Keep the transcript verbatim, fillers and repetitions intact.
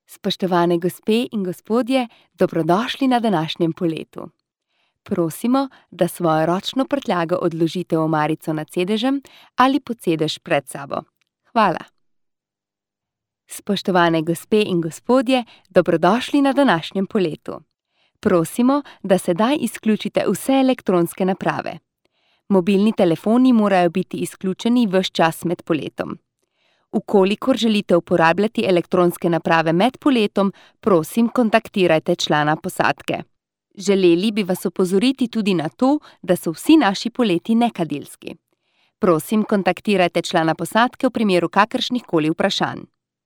Spoštovane gospe in gospodje, dobrodošli na današnjem poletu. Prosimo, da svojo ročno prtljago odložite v omarico nad sedežem ali pod sedež pred sabo. Hvala. Spoštovane gospe in gospodje, dobrodošli na današnjem poletu. Prosimo, da sedaj izključite vse elektronske naprave. Mobilni telefoni morajo biti izključeni ves čas med poletom. Vkolikor želite uporabljati elektronske naprave med poletom, prosim, kontaktirajte člana posadke. Želeli bi vas opozoriti tudi na to, da so vsi naši poleti nekadilski. Prosim, kontaktirajte člana posadke v primeru kakršnihkoli vprašanj.